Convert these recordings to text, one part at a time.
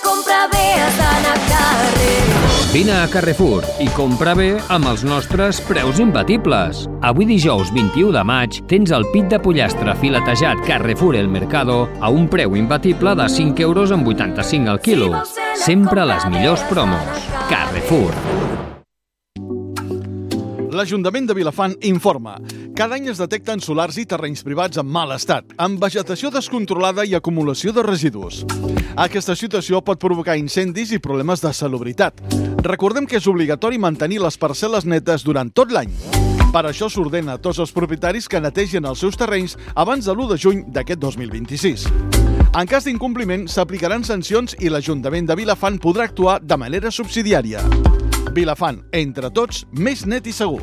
comprar bé has d'anar a Carrefour. Vine a Carrefour i compra bé amb els nostres preus imbatibles. Avui dijous 21 de maig tens el pit de pollastre filetejat Carrefour El Mercado a un preu imbatible de 5,85 € al quilo. Sempre les millors promos. Carrefour. L'Ajuntament de Vilafant informa. Cada any es detecten solars i terrenys privats en mal estat, amb vegetació descontrolada i acumulació de residus. Aquesta situació pot provocar incendis i problemes de salubritat. Recordem que és obligatori mantenir les parcel·les netes durant tot l'any. Per això s'ordena a tots els propietaris que netegin els seus terrenys abans de l'1 de juny d'aquest 2026. En cas d'incompliment, s'aplicaran sancions i l'Ajuntament de Vilafant podrà actuar de manera subsidiària. Vilafant, entre tots, més net i segur.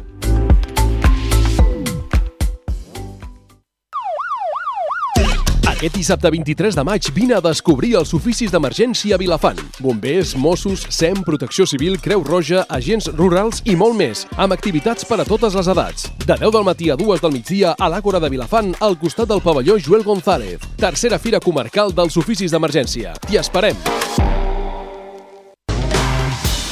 Aquest dissabte 23 de maig vine a descobrir els oficis d'emergència a Vilafant. Bombers, Mossos, SEM, Protecció Civil, Creu Roja, agents rurals i molt més, amb activitats per a totes les edats. De 10 del matí a 2 del migdia a l'Àgora de Vilafant, al costat del pavelló Joel González. Tercera Fira Comarcal dels Oficis d'Emergència. T'hi esperem!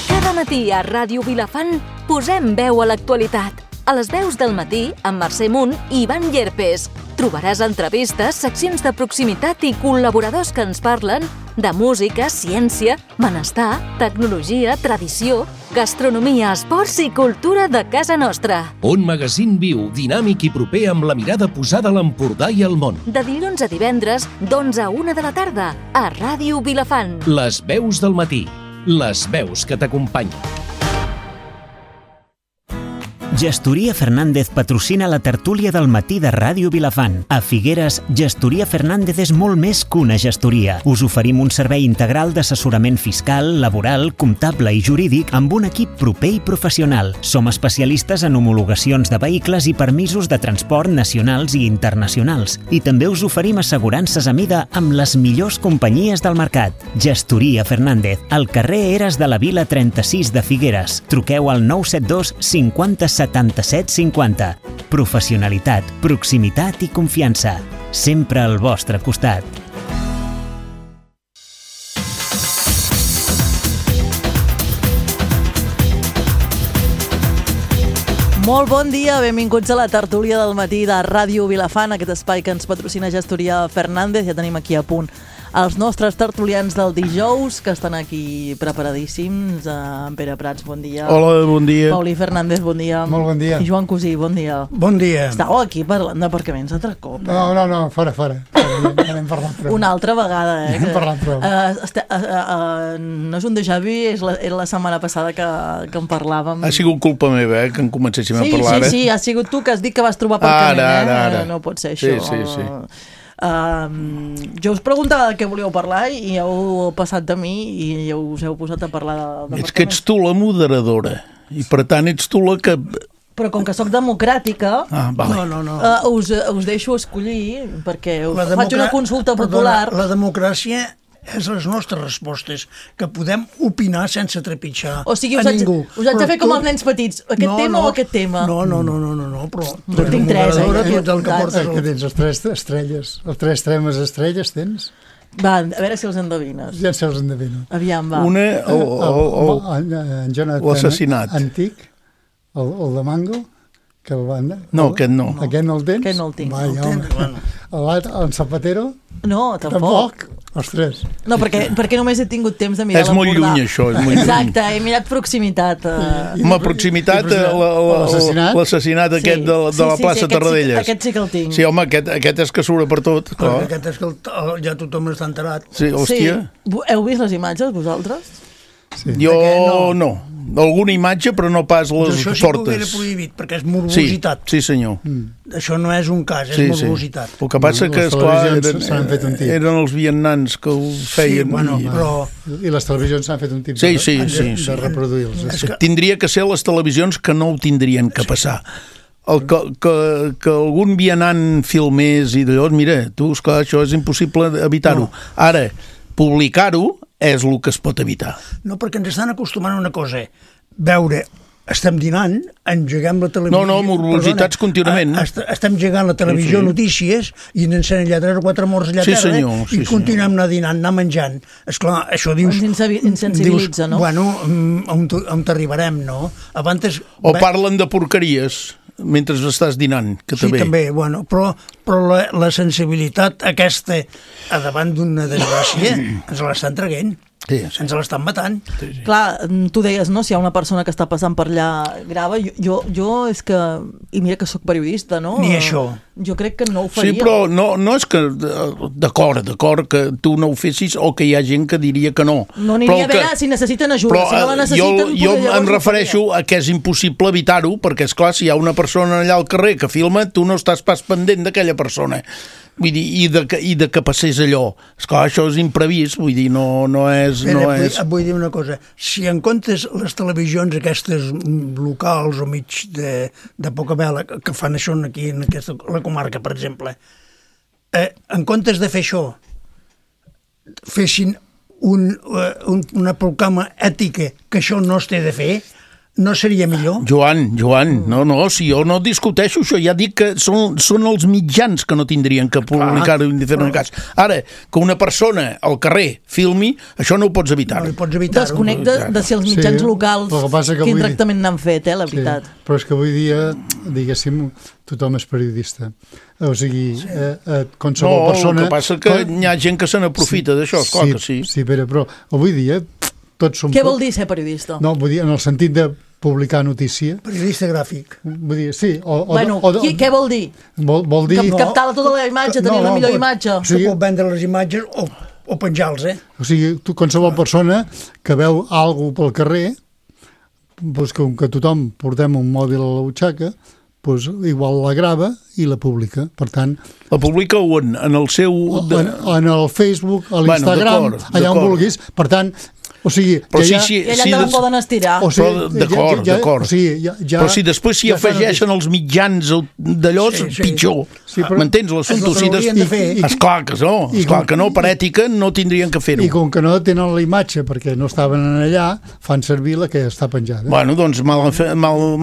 Cada matí a Ràdio Vilafant posem veu a l'actualitat. A les veus del matí, amb Mercè Munt i Ivan Llerpes. Trobaràs entrevistes, seccions de proximitat i col·laboradors que ens parlen de música, ciència, benestar, tecnologia, tradició, gastronomia, esports i cultura de casa nostra. Un magazín viu, dinàmic i proper amb la mirada posada a l'Empordà i al món. De dilluns a divendres, d'11 a 1 de la tarda, a Ràdio Vilafant. Les veus del matí. Les veus que t'acompanyen. Gestoria Fernández patrocina la tertúlia del matí de Ràdio Vilafant. A Figueres, Gestoria Fernández és molt més que una gestoria. Us oferim un servei integral d'assessorament fiscal, laboral, comptable i jurídic amb un equip proper i professional. Som especialistes en homologacions de vehicles i permisos de transport nacionals i internacionals. I també us oferim assegurances a mida amb les millors companyies del mercat. Gestoria Fernández, al carrer Eres de la Vila 36 de Figueres. Truqueu al 972 50 77 50. Professionalitat, proximitat i confiança. Sempre al vostre costat. Molt bon dia, benvinguts a la tertúlia del matí de Ràdio Vilafant, aquest espai que ens patrocina Gestoria Fernández. Ja tenim aquí a punt els nostres tertulians del dijous, que estan aquí preparadíssims. En Pere Prats, bon dia. Hola, bon dia. Paulí Fernández, bon dia. Molt bon dia. I Joan Cosí, bon dia. Bon dia. Estàveu aquí parlant d'aparcaments altre cop? No, fora. Ja n'hem parlat prou. Una altra vegada, Ja n'hem parlat prou. No és un déjà vu, era la setmana passada que en parlàvem. Ha sigut culpa meva, que en comencéssim a parlar. Sí, ha sigut tu que has dit que vas trobar aparcament. Ara. No pot ser això. Sí. Jo us preguntava de què volíeu parlar i heu passat de mi i ja us heu posat a parlar de És que ets tu la moderadora i per tant ets tu la que... Però com que sóc democràtica, vale. us deixo escollir perquè faig una consulta popular. La democràcia és les nostres respostes, que podem opinar sense trepitjar a ningú. Us haig de fer com els nens petits, aquest tema o aquest tema? No, però... Jo tinc tres, Que tens les tres estrelles, els tres temes estrelles tens? Va, a veure si els endevines. Ja els endevino. Aviam, va. Una, en l'assassinat antic, el de Mango, que el van... No, aquest no. Aquest no el tens? Aquest no el tinc. En Zapatero? No, tampoc. Els tres. No, perquè només he tingut temps de mirar l'Empordà. És molt lluny, això. Exacte, he mirat proximitat. Home, proximitat, l'assassinat aquest de la plaça Tarradellas. Aquest sí que el tinc. Sí, home, aquest és que surt per tot. Aquest és que ja tothom està enterat. Sí, hòstia. Heu vist les imatges, vosaltres? Jo no. Alguna imatge, però no pas les fortes. Això sí que ho hauria prohibit, perquè és morbositat. Sí, senyor. Això no és un cas, és morbositat. El que passa que, esclar, eren els vietnams que ho feien. I les televisions s'han fet un tip de reproduir-los. Tindria que ser les televisions que no ho tindrien que passar. Que algun vianant filmés i d'allò, mira, tu, esclar, això és impossible evitar-ho. Ara, publicar-ho és el que es pot evitar. No, perquè ens estan acostumant a una cosa, veure estem dinant, engeguem la televisió... No, morositats contínuament. Estem engegant la televisió, notícies, i ens encenen allà 3 o 4 morts allà a terra, i continuem anar dinant, anar menjant. Esclar, això dius... Ens insensibilitza, no? Bueno, on t'arribarem, no? Abans... O parlen de porqueries mentre estàs dinant, que també. Sí, també, bueno, però la sensibilitat aquesta a davant d'una desgràcia ens l'estan traguent. Sí. Ens l'estan matant. Sí. Clar, tu deies, no?, si hi ha una persona que està passant per allà grava, jo és que... I mira que sóc periodista, no? Ni això. Jo crec que no ho faria. Sí, però no és que... D'acord que tu no ho fessis o que hi ha gent que diria que no. No aniria a veure si necessiten ajuda. Si no la necessiten... Jo em refereixo a que és impossible evitar-ho, perquè, esclar, si hi ha una persona allà al carrer que filma, tu no estàs pas pendent d'aquella persona. Vull dir, i de que passés allò. Esclar, això és imprevist, vull dir, no és... Vull dir una cosa, si en comptes les televisions aquestes locals o mig de poca vela que fan això aquí en la comarca, per exemple, en comptes de fer això, fessin una proclama ètica que això no es té de fer, no seria millor? Joan, no, si jo no discuteixo això, ja dic que són els mitjans que no tindrien que publicar-ho en diferents cas. Ara, que una persona al carrer filmi, això no ho pots evitar. No ho pots evitar. Desconnecta de si els mitjans locals quin tractament n'han fet, la veritat. Sí, però és que avui dia, diguéssim, tothom és periodista. O sigui, qualsevol persona... No, el que passa que hi ha gent que se n'aprofita d'això, esclar que sí. Sí, però avui dia tots som... Què vol dir ser periodista? No, vull dir, en el sentit de publicar notícia. Periodista gràfic. Vull dir, sí. Què vol dir? Vol dir... Captar tota la imatge, tenir la millor imatge. Se pot vendre les imatges o penjar-los, O sigui, qualsevol persona que veu alguna pel carrer, doncs com que tothom portem un mòbil a la butxaca, doncs igual la grava i la publica. Per tant... La publica on? En el seu... En el Facebook, a l'Instagram, allà on vulguis. Per tant... O sigui, però i allà te la poden estirar. D'acord. Però si després s'hi afegeixen els mitjans d'allò, pitjor. M'entens? Esclar que no, per ètica no tindrien que fer-ho. I com que no tenen la imatge perquè no estaven allà, fan servir la que està penjada. Bueno, doncs mal fet. Mala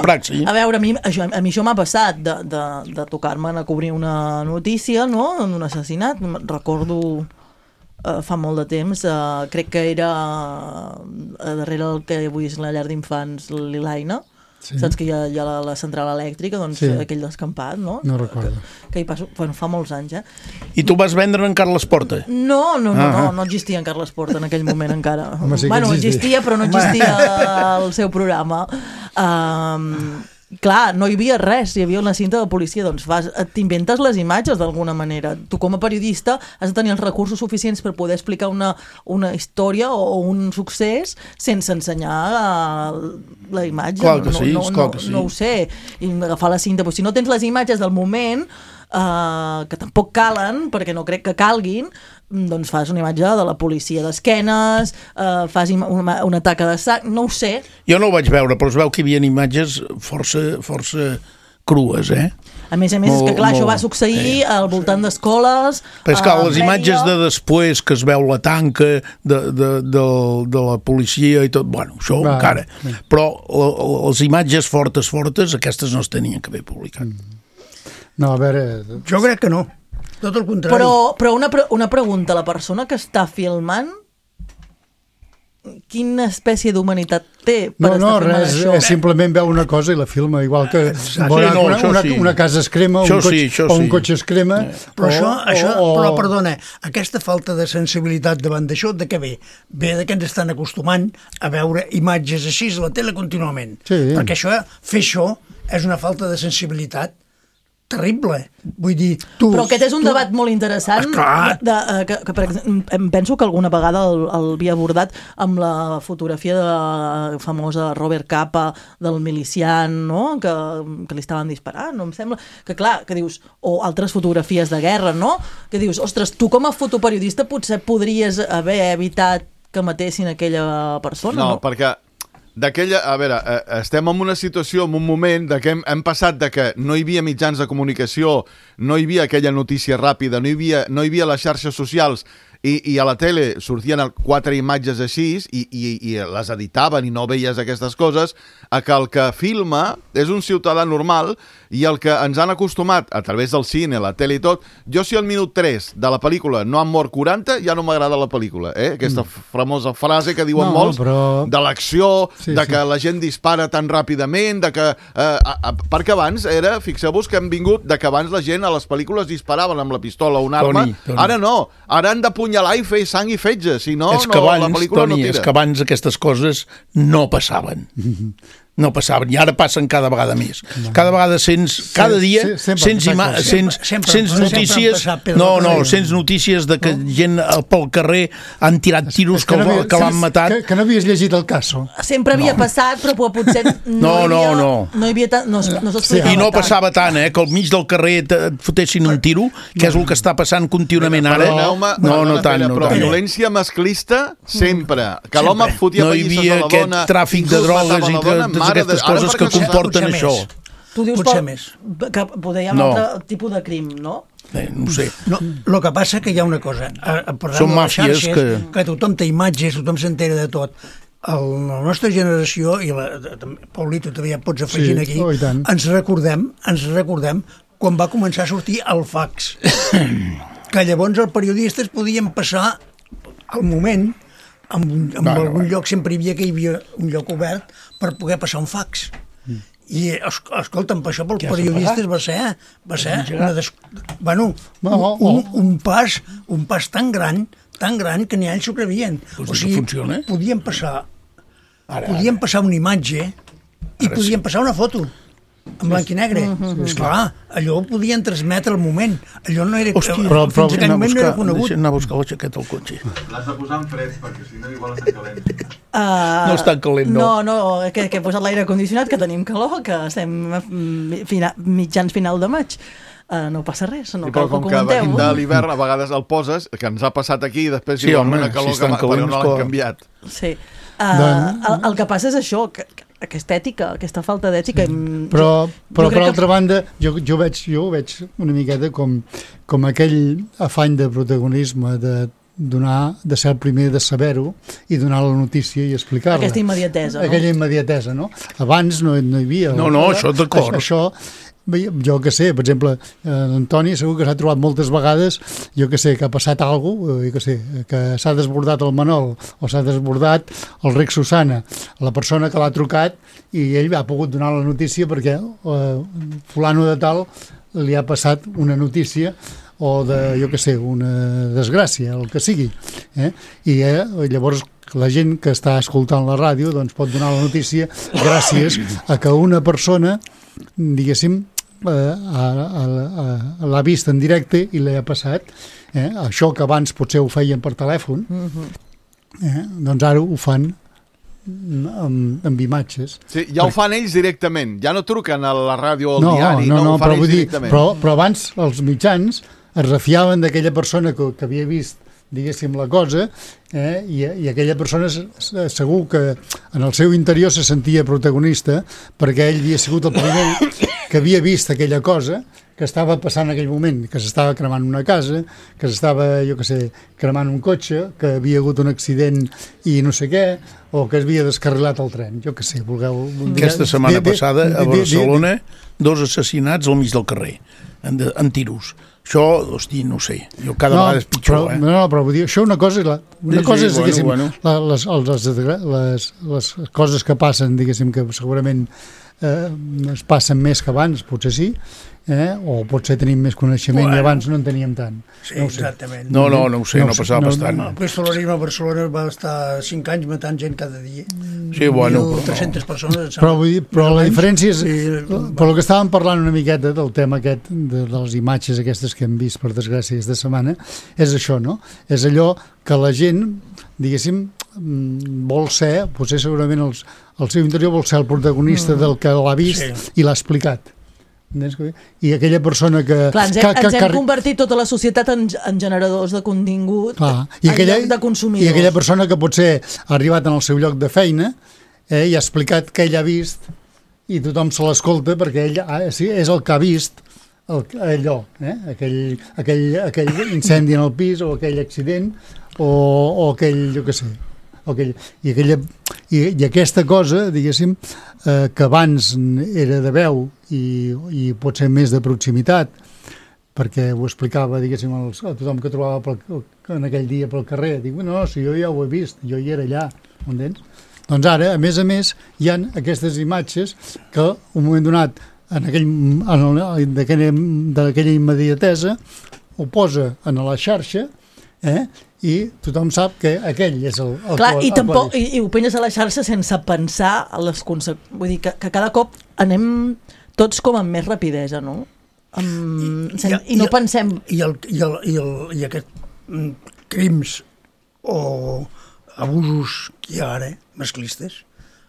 praxi. A veure, a mi això m'ha passat de tocar-me a cobrir una notícia, no?, d'un assassinat. Recordo... fa molt de temps, crec que era darrere el que avui és la llar d'infants l'Ilaina, saps que hi ha la central elèctrica, doncs aquell descampat, no? No recordo. Que hi passo, fa molts anys, I tu vas vendre en Carles Porta? No existia en Carles Porta en aquell moment encara. Bueno, existia, però no existia el seu programa. Clar, no hi havia res, hi havia una cinta de policia, doncs t'inventes les imatges d'alguna manera. Tu com a periodista has de tenir els recursos suficients per poder explicar una història o un succés sense ensenyar la imatge. Clar que sí. No ho sé. I agafar la cinta, però si no tens les imatges del moment, que tampoc calen, perquè no crec que calguin, doncs fas una imatge de la policia d'esquenes, fas una taca de sac, no ho sé. Jo no ho vaig veure, però es veu que hi havia imatges força crues, A més, és que clar, això va succeir al voltant d'escoles... Però és que les imatges de després, que es veu la tanca de la policia i tot, bueno, això encara. Però les imatges fortes, aquestes no es tenien que haver publicat. No, a veure... Jo crec que no. Tot el contrari. Però una pregunta, la persona que està filmant, quina espècie d'humanitat té per estar filmant això? No, simplement veu una cosa i la filma, igual que una casa es crema o un cotxe es crema. Però perdona, aquesta falta de sensibilitat davant d'això, de què ve? Ve que ens estan acostumant a veure imatges així a la tele contínuament. Perquè fer això és una falta de sensibilitat terrible. Vull dir, però aquest és un debat molt interessant que per exemple, em penso que alguna vegada el havia abordat amb la fotografia famosa de Robert Capa del milician, no?, que li estaven disparant, no? Em sembla que clar, que dius, o altres fotografies de guerra, no?, que dius, ostres, tu com a fotoperiodista potser podries haver evitat que matessin aquella persona, no? No, perquè a veure, estem en una situació, en un moment de que hem passat de que no hi havia mitjans de comunicació, no hi havia aquella notícia ràpida, no hi havia les xarxes socials i a la tele sortien 4 imatges així i les editaven i no veies aquestes coses, a que el que filma és un ciutadà normal i el que ens han acostumat a través del cine, la tele i tot, jo si al minut 3 de la pel·lícula no han mort 40, ja no m'agrada la pel·lícula, aquesta famosa frase que diuen molts, de l'acció, que la gent dispara tan ràpidament, perquè abans fixeu-vos que hem vingut de que abans la gent a les pel·lícules disparaven amb la pistola o una arma, ara no, ara han d'apunyalar i fer sang i fetge, si no, la pel·lícula no tira. És que abans aquestes coses no passaven. No passaven, i ara passen cada vegada més. Cada vegada cada dia sents notícies, sents notícies de que gent pel carrer han tirat tiros que l'han matat. Que no havies llegit el caso. Sempre havia passat, però potser no hi havia tant, no s'explicava. I no passava tant, que al mig del carrer et fotessin un tiro, que és el que està passant contínuament ara. No tant. Però violència masclista, sempre. Que l'home fotia pallisses a la dona. No hi havia aquest tràfic de drogues i totes aquestes coses que comporten això. Tu dius que poder hi ha un altre tipus de crim, no? No sé. El que passa que hi ha una cosa. Són màfies que tothom té imatges, tothom s'entera de tot. La nostra generació, i Paulito també ja pots afegir aquí, ens recordem quan va començar a sortir el fax. Que llavors els periodistes podien passar al moment, en algun lloc sempre hi havia un lloc obert per poder passar un fax. I, escolta'm, per això pels periodistes va ser un pas tan gran que ni ells s'ho crevien. O sigui, podien passar una imatge i podien passar una foto en blanc i negre. Esclar, allò ho podien transmetre al moment. Allò no era... Fins aquell moment no era conegut. Deixa'm anar a buscar la jaqueta al cotxe. L'has de posar en fred, perquè si no igual està calent. No està calent, no. No, que he posat l'aire condicionat, que tenim calor, que estem mitjans final de maig. No passa res, no cal que comenteu. Però com que venim de l'hivern, a vegades el poses, que ens ha passat aquí, i després diu una calor que no l'han canviat. Sí. El que passa és això, aquesta ètica, aquesta falta d'ètica. Però per altra banda, jo ho veig una miqueta com aquell afany de protagonisme, de ser el primer de saber-ho i donar la notícia i explicar-la. Aquesta immediatesa, no? Aquella immediatesa, no? Abans no hi havia... No, això d'acord. Això, jo que sé, per exemple, l'Antoni segur que s'ha trobat moltes vegades, jo que sé, que ha passat alguna cosa, que s'ha desbordat el Manol o s'ha desbordat el Rec Susana, la persona que l'ha trucat, i ell ha pogut donar la notícia perquè fulano de tal li ha passat una notícia o jo que sé, una desgràcia, el que sigui. I llavors la gent que està escoltant la ràdio doncs pot donar la notícia gràcies a que una persona, diguéssim, l'ha vist en directe i li ha passat. Això que abans potser ho feien per telèfon, doncs ara ho fan amb imatges. Sí, ja ho fan ells directament, ja no truquen a la ràdio o al diari, ho fan ells directament. Però abans els mitjans es refiaven d'aquella persona que havia vist, diguéssim, la cosa, i aquella persona segur que en el seu interior se sentia protagonista perquè ell havia sigut el primer que havia vist aquella cosa que estava passant en aquell moment, que s'estava cremant una casa, que s'estava, jo que sé, cremant un cotxe, que havia hagut un accident i no sé què, o que es havia descarrilat el tren, jo que sé, vulgueu... Aquesta setmana passada a Barcelona 2 assassinats al mig del carrer, en tiros. Això, hosti, no sé, jo cada vegada és pitjor. Però vull dir, això una cosa és, diguéssim, les coses que passen, diguéssim, que segurament es passen més que abans, potser sí, o potser tenim més coneixement i abans no en teníem tant. Sí, exactament. No ho sé, no passava bastant. El pistolerisme a Barcelona va estar 5 anys matant gent cada dia. Sí, bueno. 1.300 persones. Però la diferència és... Però el que estàvem parlant una miqueta del tema aquest, de les imatges aquestes que hem vist, per desgràcia, aquesta setmana, és això, no? És allò que la gent, diguéssim, vol ser, potser segurament el seu interior vol ser el protagonista del que l'ha vist i l'ha explicat. I aquella persona que... Clar, ens hem convertit tota la societat en generadors de contingut en lloc de consumidors. I aquella persona que potser ha arribat en el seu lloc de feina i ha explicat què ell ha vist i tothom se l'escolta perquè ell és el que ha vist allò, aquell incendi en el pis o aquell accident o aquell, jo què sé, i aquesta cosa, diguéssim, que abans era de veu i pot ser més de proximitat, perquè ho explicava, diguéssim, a tothom que trobava en aquell dia pel carrer, dic, no, si jo ja ho he vist, jo hi era allà, m'entens? Doncs ara, a més, hi ha aquestes imatges que, un moment donat, d'aquella immediatesa, ho posa en la xarxa, i tothom sap que aquell és el clar, i ho penges a la xarxa sense pensar a les conseqüències. Vull dir que cada cop anem tots com amb més rapidesa, no? I no pensem... I aquests crims o abusos que hi ha ara, masclistes,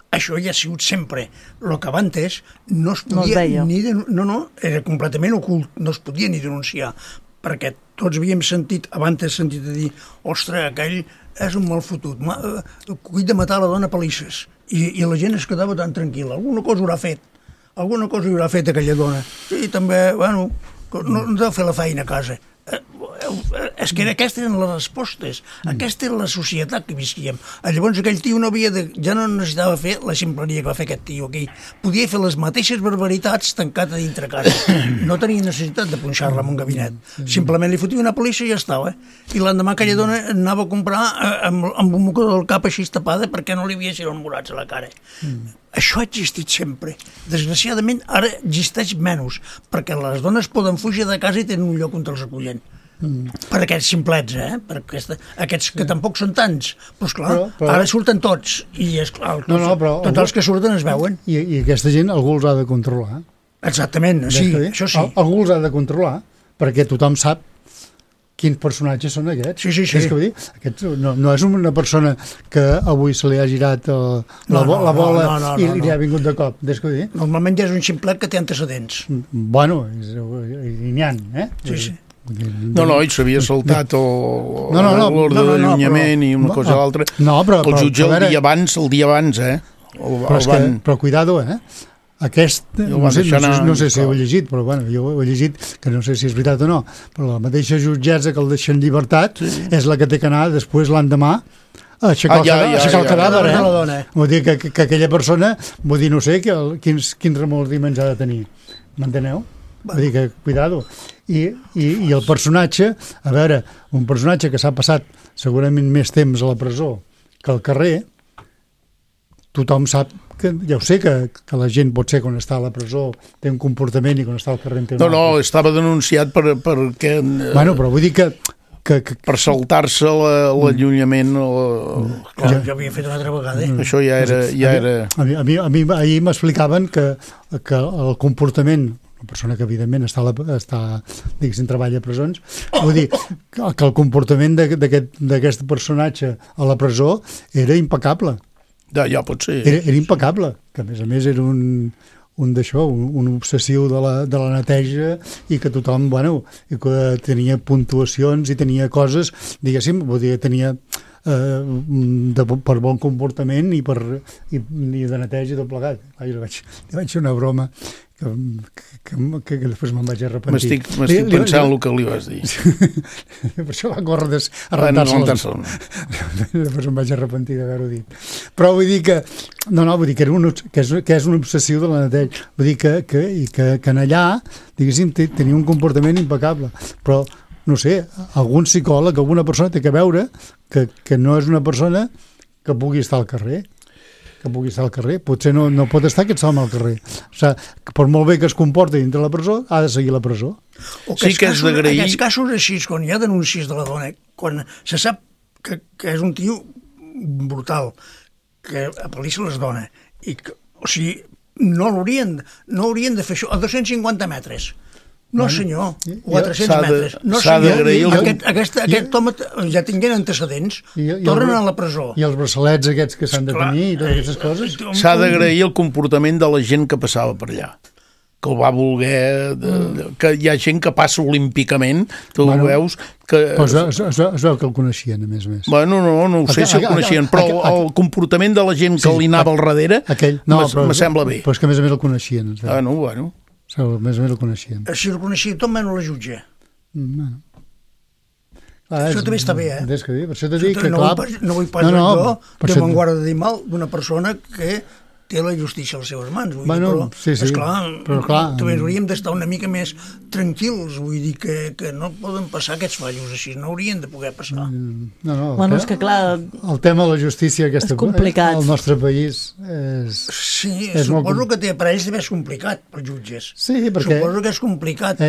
això ja ha sigut sempre. El que abans no es podia era completament ocult, no es podia ni denunciar, perquè tots havíem sentit a dir, ostres, aquell és un mal fotut, cuit de matar la dona a palisses, i la gent es quedava tan tranquil·la, alguna cosa haurà fet aquella dona, i també, bueno, no deu fer la feina a casa. És que aquestes eren les respostes, aquesta era la societat que visquíem. Llavors aquell tio ja no necessitava fer la ximpleria que va fer aquest tio aquí, podia fer les mateixes barbaritats tancat a dintre casa, no tenia necessitat de punxar-la en un gabinet, simplement li fotia una polissa i ja estava, i l'endemà aquella dona anava a comprar amb un mocador del cap així tapada perquè no li havia sigut morats a la cara. Això ha existit sempre. Desgraciadament ara existeix menys, perquè les dones poden fugir de casa i tenen un lloc on els acullen. Per aquests simplets, per aquests que tampoc són tants, però esclar, ara surten tots, i esclar, tots els que surten es veuen. I aquesta gent algú els ha de controlar. Exactament, sí, això sí. Algú els ha de controlar, perquè tothom sap quins personatges són aquests. Sí. Aquests no és una persona que avui se li ha girat la bola i li ha vingut de cop. Normalment ja és un ximplet que té antecedents. Bueno, i n'hi ha, Sí. No, i s'havia saltat l'ordre d'allunyament i una cosa o l'altra. El jutge el dia abans, Però cuidado, aquest, no sé si ho he llegit, però bueno, jo ho he llegit, que no sé si és veritat o no, però la mateixa jutgessa que el deixa en llibertat és la que té que anar després l'endemà a aixecar el cadàver, Vull dir que aquella persona, vull dir, no sé quins remordiments ha de tenir, m'enteneu? Vull dir que, cuidado. I el personatge, a veure, un personatge que s'ha passat segurament més temps a la presó que al carrer, tothom sap que, ja ho sé, que la gent pot ser quan està a la presó té un comportament i quan està al carrer té un altre. No, estava denunciat perquè... Bueno, però vull dir que per saltar-se l'allunyament... Jo havia fet una altra vegada. Això ja era... A mi ahir m'explicaven que el comportament, una persona que evidentment diguéssim, treballa a presons, vull dir que el comportament d'aquest personatge a la presó era impecable. Ja pot ser. Era impecable, que a més era un obsessiu de la neteja i que tothom, bueno, que tenia puntuacions i tenia coses, diguéssim, vull dir, tenia per bon comportament i de neteja i tot plegat. Li vaig fer una broma que després me'n vaig arrepentir. M'estic pensant el que li vas dir. Per això va córrer a rentar-se. Després em vaig arrepentir d'haver-ho dit. Però vull dir que vull dir que és un obsessiu de la neteja. Vull dir que en allà, diguéssim, tenia un comportament impecable. Però, no sé, algun psicòleg, alguna persona té que veure que no és una persona que pugui estar al carrer. Potser no pot estar aquest home al carrer. O sigui, per molt bé que es comporti dintre la presó, ha de seguir la presó. Sí que és d'agrair... Aquests casos així, quan hi ha denúncies de la dona, quan se sap que és un tio brutal, que apel·lissa les dones, o sigui, no haurien de fer això a 250 metres. No, senyor, o a 300 metres. No, senyor, aquest home ja tinguent antecedents, tornen a la presó. I els braçalets aquests que s'han de tenir i totes aquestes coses. S'ha d'agrair el comportament de la gent que passava per allà, que el va voler, que hi ha gent que passa olímpicament, tu ho veus... Es veu que el coneixien, a més. Bueno, no ho sé si el coneixien, però el comportament de la gent que li anava al darrere me sembla bé. Però és que a més el coneixien. Bueno. Més o menys el coneixíem. Si el coneixia tot, menys la jutge. Bueno. Això també està bé, Per això t'he dit que, clar... No vull pas jo de m'enguarda de dir mal d'una persona que té la justícia a les seves mans. Però també hauríem d'estar una mica més tranquils, vull dir que no poden passar aquests fallos així, no haurien de poder passar. Bueno, és que clar... El tema de la justícia és complicat. Al nostre país és... Sí, suposo que per ells deve ser complicat, pels jutges. Sí, perquè... Suposo que és complicat,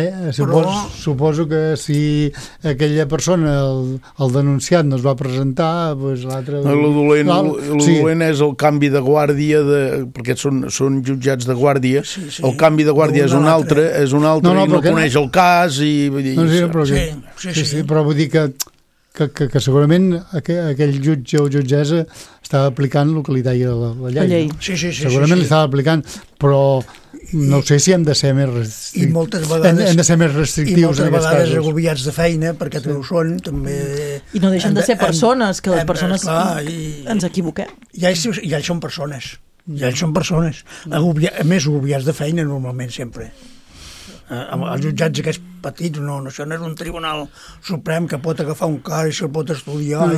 Suposo que si aquella persona, el denunciat, no es va presentar, doncs l'altre... El dolent és el canvi de guàrdia perquè són jutjats de guàrdia, el canvi de guàrdia és un altre i no coneix el cas i... Però vull dir que segurament aquell jutge o jutgessa estava aplicant el que li deia la llei. Segurament li estava aplicant, però no sé si hem de ser més restrictius. I moltes vegades restrictius i moltes vegades agobiats de feina, perquè també ho són, també... I no deixen de ser persones, que les persones ens equivoquem. Ja ells són persones. Ja ells són persones, més agobiats de feina normalment sempre. Els jutjats aquests petits, això no és un tribunal suprem que pot agafar un cas i se'l pot estudiar,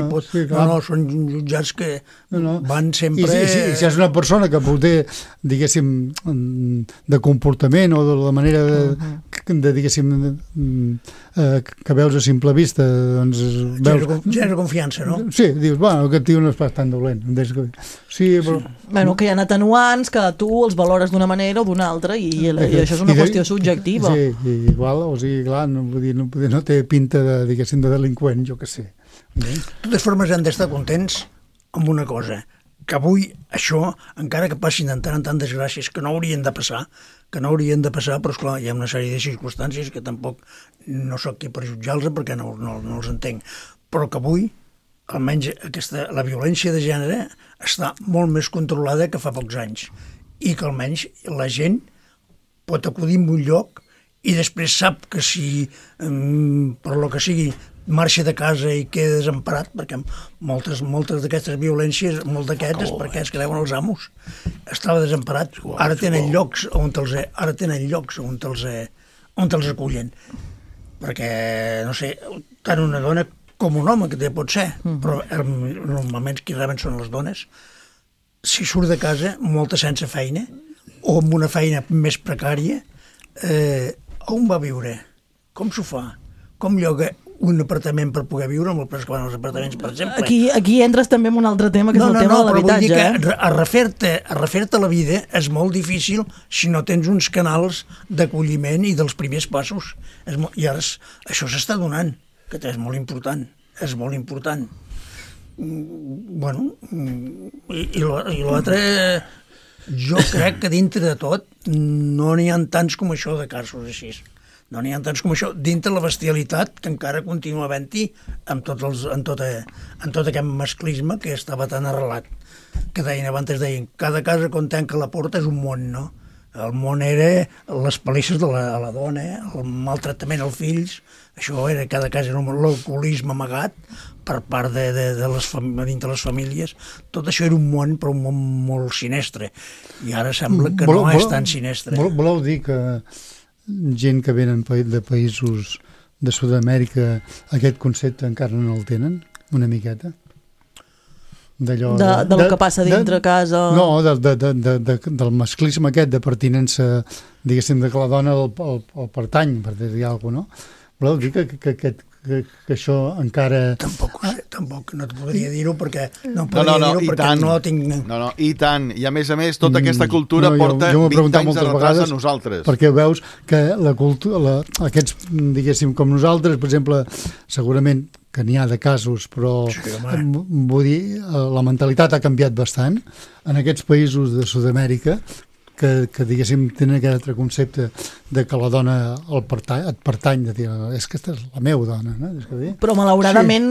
són jutjats que van sempre... I si és una persona que potser, diguéssim, de comportament o de la manera diguéssim, que veus a simple vista, doncs... Genera confiança, no? Sí, dius, bueno, aquest tio no és pas tan dolent. Sí, però... Bueno, que hi ha atenuants que tu els valores d'una manera o d'una altra i això és una qüestió subjectiva. Sí, igual, o sigui, clar, no té pinta de, diguéssim, de delinqüent, jo què sé. De totes formes, hem d'estar contents amb una cosa, que avui això, encara que passin de tant en tant desgràcies que no haurien de passar, però esclar, hi ha una sèrie de circumstàncies que tampoc no soc qui per jutjar-los perquè no els entenc, però que avui almenys la violència de gènere està molt més controlada que fa pocs anys i que almenys la gent pot acudir a un lloc i després sap que si per lo que sigui marxa de casa i queda desemparat, perquè moltes d'aquestes violències, molt d'aquests és perquè es creuen els amos, estava desemparat, ara tenen llocs on els acullen, perquè no sé, tant una dona com un home, que té pot ser, però normalment qui reben són les dones. Si surt de casa, molta sense feina, o amb una feina més precària, on va viure? Com s'ho fa? Com lloga un apartament per poder viure, amb el preu que van els apartaments, per exemple? Aquí entres també en un altre tema, que és el tema de l'habitatge. No, però vull dir que a refer-te la vida és molt difícil si no tens uns canals d'acolliment i dels primers passos. I ara això s'està donant, que és molt important, Bueno, i l'altre, jo crec que dintre de tot no n'hi ha tants com això de casos així. No n'hi ha tants com això, dintre la bestialitat que encara continua havent-hi en tot aquest masclisme que estava tan arrelat. Que abans deien, cada casa quan tanca la porta és un món, no? El món era les palisses a la dona, el maltractament als fills, això era, cada cas era l'alcoholisme amagat per part dintre les famílies. Tot això era un món, però un món molt sinistre. I ara sembla que no és tan sinistre. Voleu dir que gent que venen de països de Sud-amèrica aquest concepte encara no el tenen, una miqueta? Del que passa dintre casa... No, del masclisme aquest, de pertinença, diguéssim, de que la dona el pertany, per dir alguna cosa, no? Voleu dir que això encara... Tampoc no et podria dir-ho perquè no tinc... No, i tant. I a més, tota aquesta cultura porta 20 anys de retras a nosaltres. Perquè veus que la cultura, aquests, diguéssim, com nosaltres, per exemple, segurament que n'hi ha de casos, però vull dir, la mentalitat ha canviat bastant en aquests països de Sud-amèrica que diguéssim, tenen aquest altre concepte de que la dona et pertany, de dir, és que aquesta és la meva dona, no? Però malauradament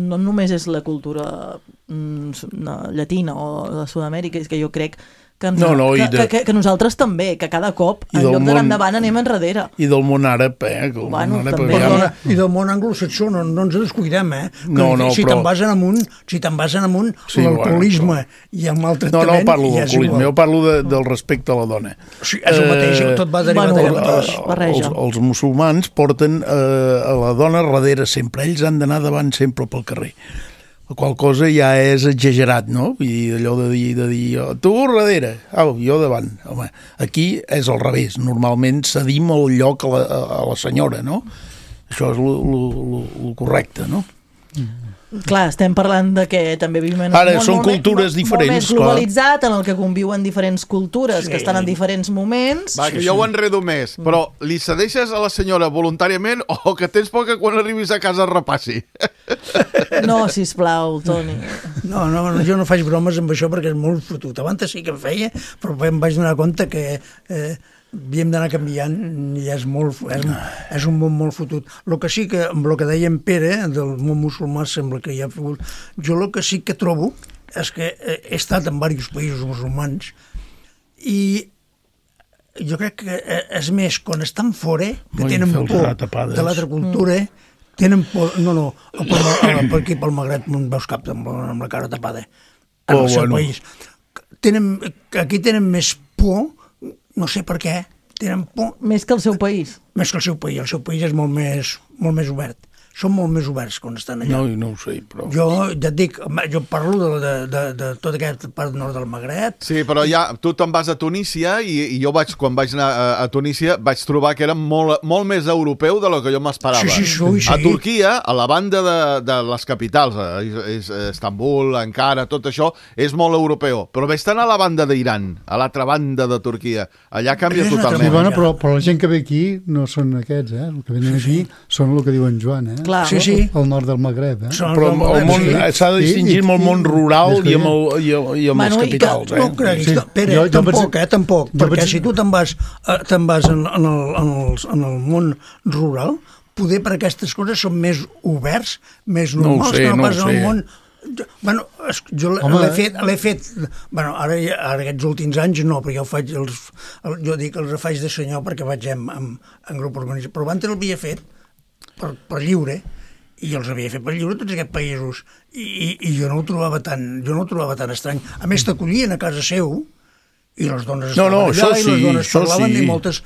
no només és la cultura llatina o de Sud-amèrica, és que jo crec que nosaltres també, que cada cop en lloc d'anar endavant anem enrere. I del món àrab, I del món anglosaxó, no ens descuidem, si te'n vas en amunt, l'alcoholisme i el maltractament... No parlo d'alcoholisme, jo parlo del respecte a la dona. Sí, és el mateix, tot va derivat. Els musulmans porten a la dona darrere sempre, ells han d'anar davant sempre pel carrer. La qual cosa ja és exagerat, no? I allò de dir tu darrere, jo davant. Home, aquí és al revés. Normalment cedim el lloc a la senyora, no? Això és el correcte, no? Clar, estem parlant de que també vivim en un món cultures diferents, molt més globalitzat, en el que conviuen diferents cultures que estan en diferents moments. Va, que jo ho enredo més, però li cedeixes a la senyora voluntàriament o que tens por que quan arribis a casa repassi? No, sisplau, Toni. No, jo no faig bromes amb això perquè és molt fotut. Abans sí que em feia, però em vaig donar compte que havíem d'anar canviant i és un món molt fotut. El que sí que, amb el que deia en Pere, del món musulmà, sembla que hi ha figut... Jo el que sí que trobo és que he estat en diversos països musulmans i jo crec que és més, quan estan fora, que tenen por de l'altra cultura, tenen por... No, per aquí, pel Magreb, no veus cap amb la cara tapada. En el seu país. Aquí tenen més por, no sé per què, tenen por... Més que el seu país? Més que el seu país. El seu país és molt més obert. Són molt més oberts quan estan allà. No ho sé, però... Jo ja et dic, jo parlo de tota aquesta part nord del Magreb. Sí, però ja, tu te'n vas a Tunísia i jo quan vaig anar a Tunísia vaig trobar que era molt més europeu de lo que jo m'esperava. Sí. A Turquia, a la banda de les capitals, Istanbul, Ankara, tot això, és molt europeu. Però ves tant a la banda d'Iran, a l'altra banda de Turquia. Allà canvia totalment. Sí, bueno, però la gent que ve aquí no són aquests, El que venen aquí són el que diu en Joan, Clar. Sí. El nord del Magreb, Però el món s'ha de distingir amb el món rural i amb les capitals, No creguis, Pere, tampoc, perquè si tu te'n vas en el món rural, poder per aquestes coses són més oberts, més normals, que no pas en el món... Jo l'he fet... Ara aquests últims anys no, però jo dic els faig de senyor perquè vaig en grup organitzat, però abans l'havia fet per lliure, i els havia fet per lliure tots aquests països, i jo no ho trobava tan estrany. A més, t'acollien a casa seu, i les dones estaven allà, i les dones parlaven, i moltes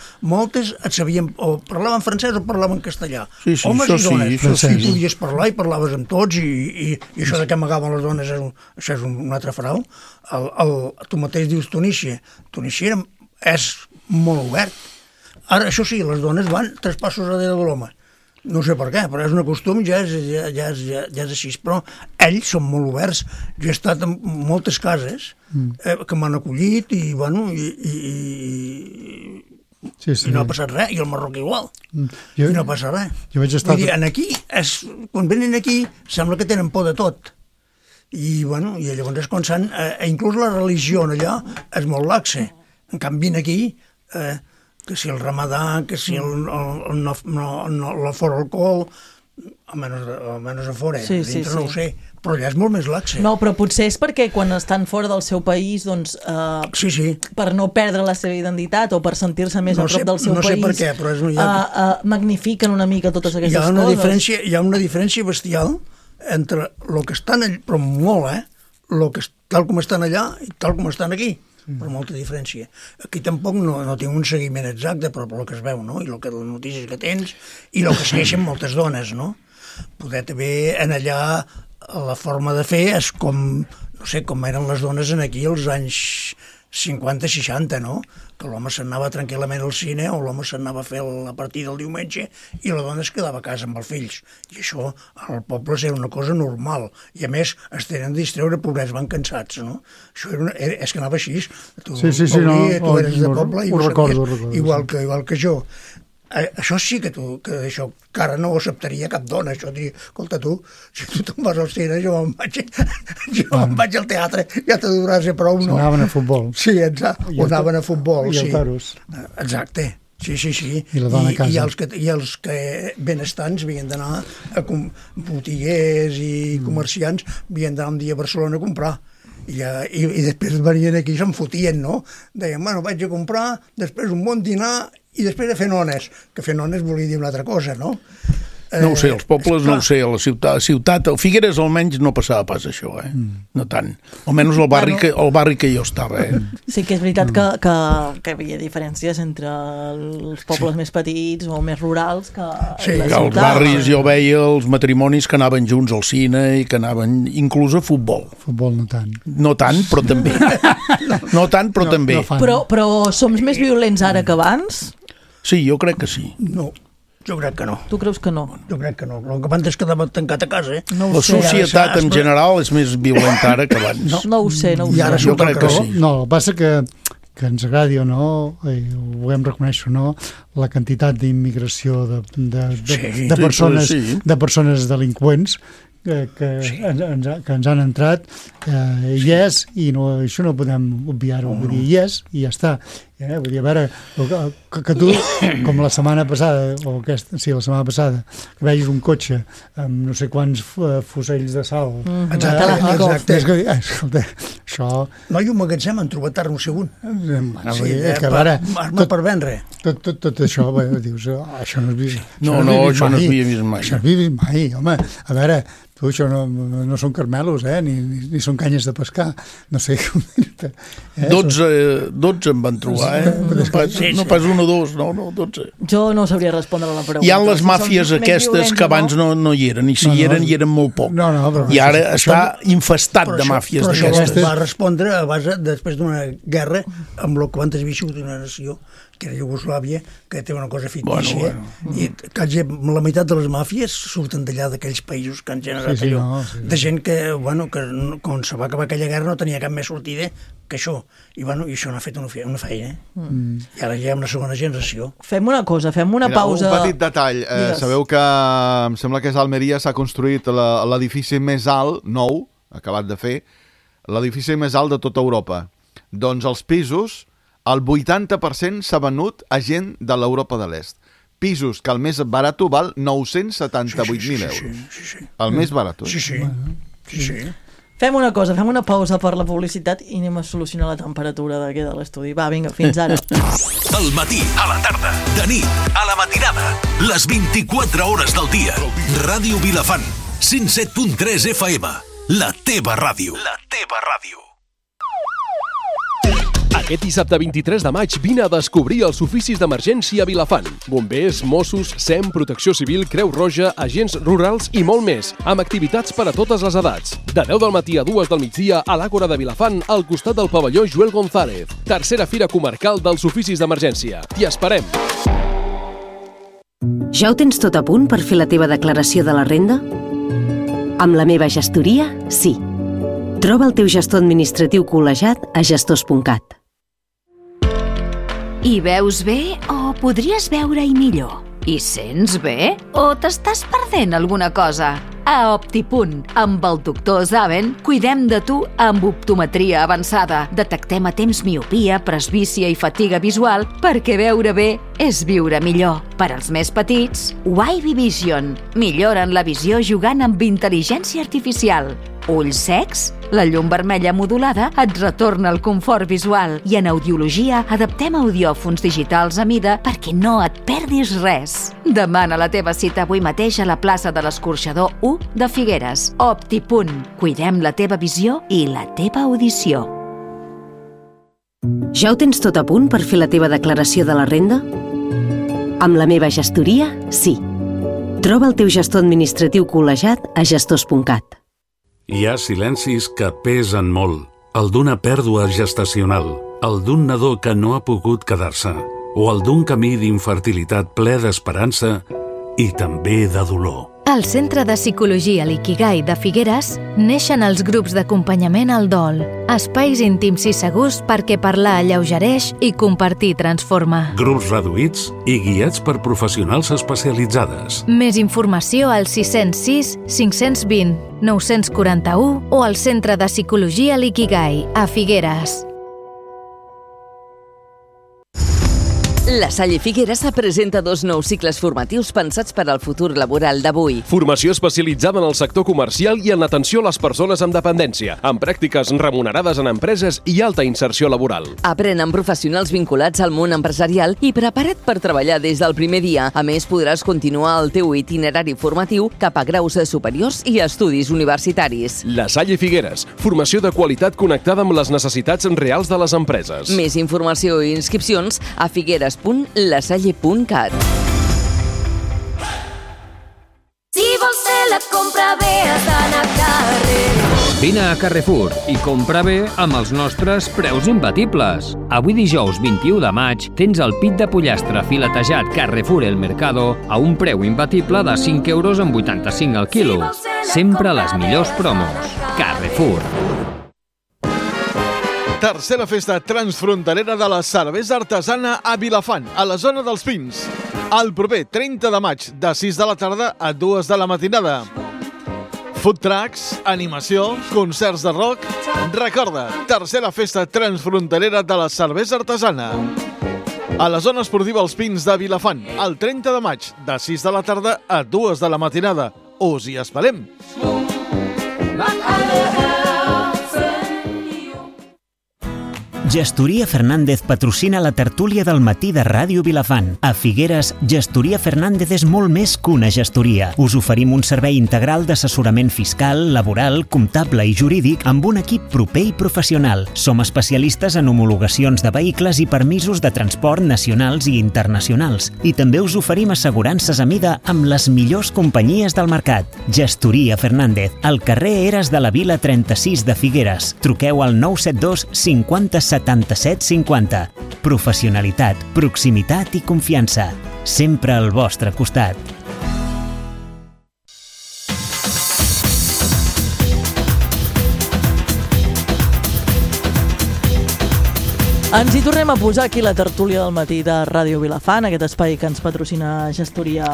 et sabien, o parlaven francès o parlaven castellà. Homes i dones. I podies parlar i parlaves amb tots, i això de que amagaven les dones, això és un altre frau. Tu mateix dius Tunísia. Tunísia és molt obert. Ara, això sí, les dones van 3 passos darrere de l'home. No sé per què, però és un costum, ja és així. Però ells són molt oberts. Jo he estat en moltes cases que m'han acollit i no ha passat res, i el marroc igual. I no passa res. Vull dir, quan venen aquí sembla que tenen por de tot. I llavors és quan inclús la religió allà és molt laxa. En canvi, aquí... que si el ramadà, que si l'afora alcohol, almenys a fora, dintre no ho sé, però allà és molt més laxe. No, però potser és perquè quan estan fora del seu país, doncs, per no perdre la seva identitat o per sentir-se més a prop del seu país, no sé per què, però magnifiquen una mica totes aquestes coses. Hi ha una diferència bestial entre el que estan allà, però molt, tal com estan allà i tal com estan aquí. Per molta diferència. Aquí tampoc no tinc un seguiment exacte, però el que es veu, no? I les notícies que tens, i el que segueixen moltes dones, no? Poder també en allà la forma de fer és com, no sé, com eren les dones aquí als anys 50-60, no? Que l'home s'anava tranquil·lament al cine o l'home s'anava a fer la partida el diumenge i la dona es quedava a casa amb els fills. I això al poble era una cosa normal. I a més es tenen de distreure, pobrets, van cansats, no? Això és que anava així. Tu eres de poble i ho sabies, igual que jo. Això sí que això encara no ho acceptaria cap dona, això diria, escolta tu, si tu te'n vas al cine, jo me'n vaig al teatre, ja te durà ser prou, no? Anaven a futbol. Sí, exacte, o anaven a futbol, sí. I al Taros. Exacte, Sí. I la dona a casa. I els que benestants havien d'anar a botiguers i comerciants, havien d'anar un dia a Barcelona a comprar. I després venien aquí i se'n fotien, no? Deien, bueno, vaig a comprar, després un bon dinar i després a fer nones, que fer nones volia dir una altra cosa, no? No ho sé, els pobles no ho sé, a la ciutat, a Figueres almenys no passava pas això, no tant. Almenys el barri que jo estava. Sí que és veritat que hi havia diferències entre els pobles més petits o més rurals que la ciutat. Als barris jo veia els matrimonis que anaven junts al cine i que anaven inclús a futbol. Futbol no tant. No tant, però també. No tant, però també. Però som més violents ara que abans? Sí, jo crec que sí. No. Jo crec que no. Tu creus que no? Jo crec que no. El que abans es quedava tancat a casa, No la societat en general és més violenta ara que abans. No ho sé. I ara jo crec que sí. No, el que passa que ens agradi o no, ho vulguem reconèixer o no, la quantitat d'immigració de persones delinqüents que ens han entrat hi és, i això no podem obviar-ho, vull dir, hi és i ja està. Vull dir, a veure, que tu, com la setmana passada, la setmana passada, que vegis un cotxe amb no sé quants fusells de sal. Exacte. Escolta, això... No, i un magatzem han trobat ara un segon. Arma per vendre. Tot això, dius, això no es vist. No, això no es havia vist mai. Això no es havia vist mai, home. A veure, tu, això no són carmelos, ni són canyes de pescar. No sé com dir-te. 12 en van trobar, no pas 1 o 2, no, 12. Jo no sabria respondre a la pregunta. Hi ha les màfies aquestes que abans no hi eren, i si hi eren molt poc. I ara està infestat de màfies d'aquestes. Això va respondre a base, després d'una guerra, amb el que abans havia sigut una nació, que era Iugoslàvia, que té una cosa fictícia. I la meitat de les màfies surten d'allà, d'aquells països que han generat allò. De gent que, quan se va acabar aquella guerra, no tenia cap més sortida que això. I això n'ha fet una feina. I ara ja hi ha una segona generació. Fem una cosa, fem una pausa. Un petit detall. Sabeu que em sembla que a Almeria s'ha construït l'edifici més alt, nou, acabat de fer, l'edifici més alt de tota Europa. Doncs els pisos, el 80% s'ha venut a gent de l'Europa de l'Est. Pisos que el més barat val 978.000 euros. El més barat. Sí. Fem una cosa, fem una pausa per la publicitat i anem a solucionar la temperatura d'aquí de l'estudi. Va, vinga, fins ara. Al matí, a la tarda, de nit, a la matinada, les 24 hores del dia. Ràdio Vilafant, 107.3 FM, la teva ràdio. La teva ràdio. Aquest dissabte 23 de maig vine a descobrir els oficis d'emergència a Vilafant. Bombers, Mossos, SEM, Protecció Civil, Creu Roja, agents rurals i molt més, amb activitats per a totes les edats. De 10 del matí a 2 del migdia a l'Àgora de Vilafant, al costat del pavelló Joel González. Tercera Fira Comarcal dels Oficis d'Emergència. T'hi esperem! Ja ho tens tot a punt per fer la teva declaració de la renda? Amb la meva gestoria, sí. Troba el teu gestor administratiu col·legiat a gestors.cat. Hi veus bé o podries veure-hi millor? Hi sents bé o t'estàs perdent alguna cosa? A Optipunt, amb el doctor Zaven, cuidem de tu amb optometria avançada. Detectem a temps miopia, presbícia i fatiga visual perquè veure bé és viure millor. Per als més petits, Wavy Vision. Milloren la visió jugant amb intel·ligència artificial. Ulls secs? La llum vermella modulada et retorna el confort visual i en audiologia adaptem audiòfons digitals a mida perquè no et perdis res. Demana la teva cita avui mateix a la plaça de l'Escorxador 1 de Figueres. Optipunt. Cuidem la teva visió i la teva audició. Ja ho tens tot a punt per fer la teva declaració de la renda? Amb la meva gestoria, sí. Troba el teu gestor administratiu col·legiat a gestors.cat. Hi ha silencis que pesen molt. El d'una pèrdua gestacional, el d'un nadó que no ha pogut quedar-se, o el d'un camí d'infertilitat ple d'esperança i també de dolor. Al Centre de Psicologia l'Ikigai de Figueres neixen els grups d'acompanyament al dol, espais íntims i segurs perquè parlar alleugereix i compartir transforma. Grups reduïts i guiats per professionals especialitzades. Més informació al 606 520 941 o al Centre de Psicologia l'Ikigai a Figueres. La Salle Figueres presenta 2 nous cicles formatius pensats per al futur laboral d'avui. Formació especialitzada en el sector comercial i en l'atenció a les persones amb dependència, amb pràctiques remunerades en empreses i alta inserció laboral. Aprèn amb professionals vinculats al món empresarial i preparat per treballar des del primer dia. A més, podràs continuar el teu itinerari formatiu cap a graus superiors i estudis universitaris. La Salle Figueres, formació de qualitat connectada amb les necessitats reals de les empreses. Més informació i inscripcions a figueres.lasalle.cat. Si vols fer la compra bé, has d'anar a Carrefour. Vine a Carrefour i compra bé amb els nostres preus imbatibles. Avui dijous 21 de maig tens el pit de pollastre filetejat Carrefour El Mercado a un preu imbatible de 5,85 € al quilo. Sempre les millors promos. Carrefour. Tercera festa transfronterera de la cervesa artesana a Vilafant, a la zona dels Pins. El proper 30 de maig, de 6 de la tarda a 2 de la matinada. Food trucks, animació, concerts de rock... Recorda, tercera festa transfronterera de la cervesa artesana. A la zona esportiva Els Pins de Vilafant, el 30 de maig, de 6 de la tarda a 2 de la matinada. Us hi esperem! Gestoria Fernández patrocina la tertúlia del matí de Ràdio Vilafant. A Figueres, Gestoria Fernández és molt més que una gestoria. Us oferim un servei integral d'assessorament fiscal, laboral, comptable i jurídic amb un equip proper i professional. Som especialistes en homologacions de vehicles i permisos de transport nacionals i internacionals. I també us oferim assegurances a mida amb les millors companyies del mercat. Gestoria Fernández, al carrer Eres de la Vila 36 de Figueres. Truqueu al 972 50 77 50. Professionalitat, proximitat i confiança. Sempre al vostre costat. Ens hi tornem a posar aquí la tertúlia del matí de Ràdio Vilafant, aquest espai que ens patrocina Gestoria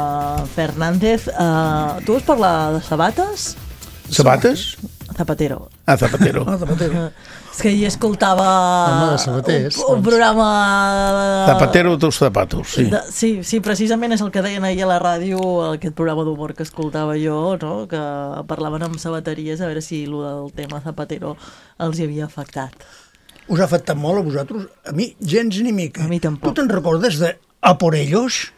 Fernández. Tu vols parlar de sabates? Sabates? Zapatero. Ah, Zapatero. És que hi escoltava un programa... Zapatero tus zapatos, sí. Sí, precisament és el que deien ahir a la ràdio, aquest programa d'humor que escoltava jo, no? Que parlaven amb sabateries a veure si el del tema Zapatero els hi havia afectat. Us ha afectat molt a vosaltres? A mi, gens ni mica. A mi tampoc. Tu te'n recordes de A por ellos?